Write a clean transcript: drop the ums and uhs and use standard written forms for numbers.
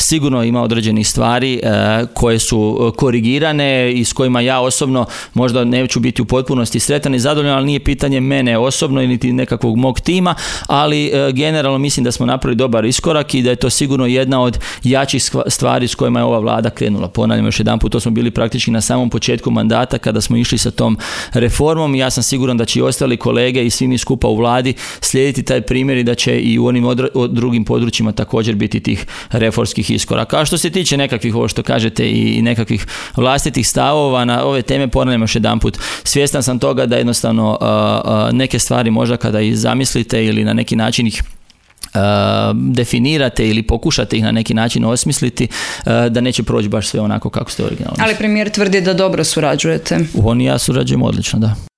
sigurno ima određenih stvari koje su korigirane i s kojima ja osobno možda neću biti u potpunosti sretan i zadovoljan, ali nije pitanje mene osobno niti nekakvog mog tima, ali generalno mislim da smo napravili dobar iskorak i da je to sigurno jedna od jačih stvari s kojima je ova vlada krenula. Ponavljam još jedanput, to smo bili praktički na samom početku mandata kada smo išli sa tom reformom i ja sam siguran da će i ostali kolege i svi mi skupa u vladi slijediti taj primjer i da će i u onim drugim područjima također biti tih reformskih iskoraka. A što se tiče nekakvih, ovo što kažete, i nekakvih vlastitih stavova na ove teme, ponavljam još jedanput, svjestan sam toga da jednostavno neke stvari možda kada ih zamislite ili na neki način ih definirate ili pokušate ih na neki način osmisliti, da neće proći baš sve onako kako ste originalno. Ali premijer tvrdi da dobro surađujete. On i ja surađujemo odlično, da.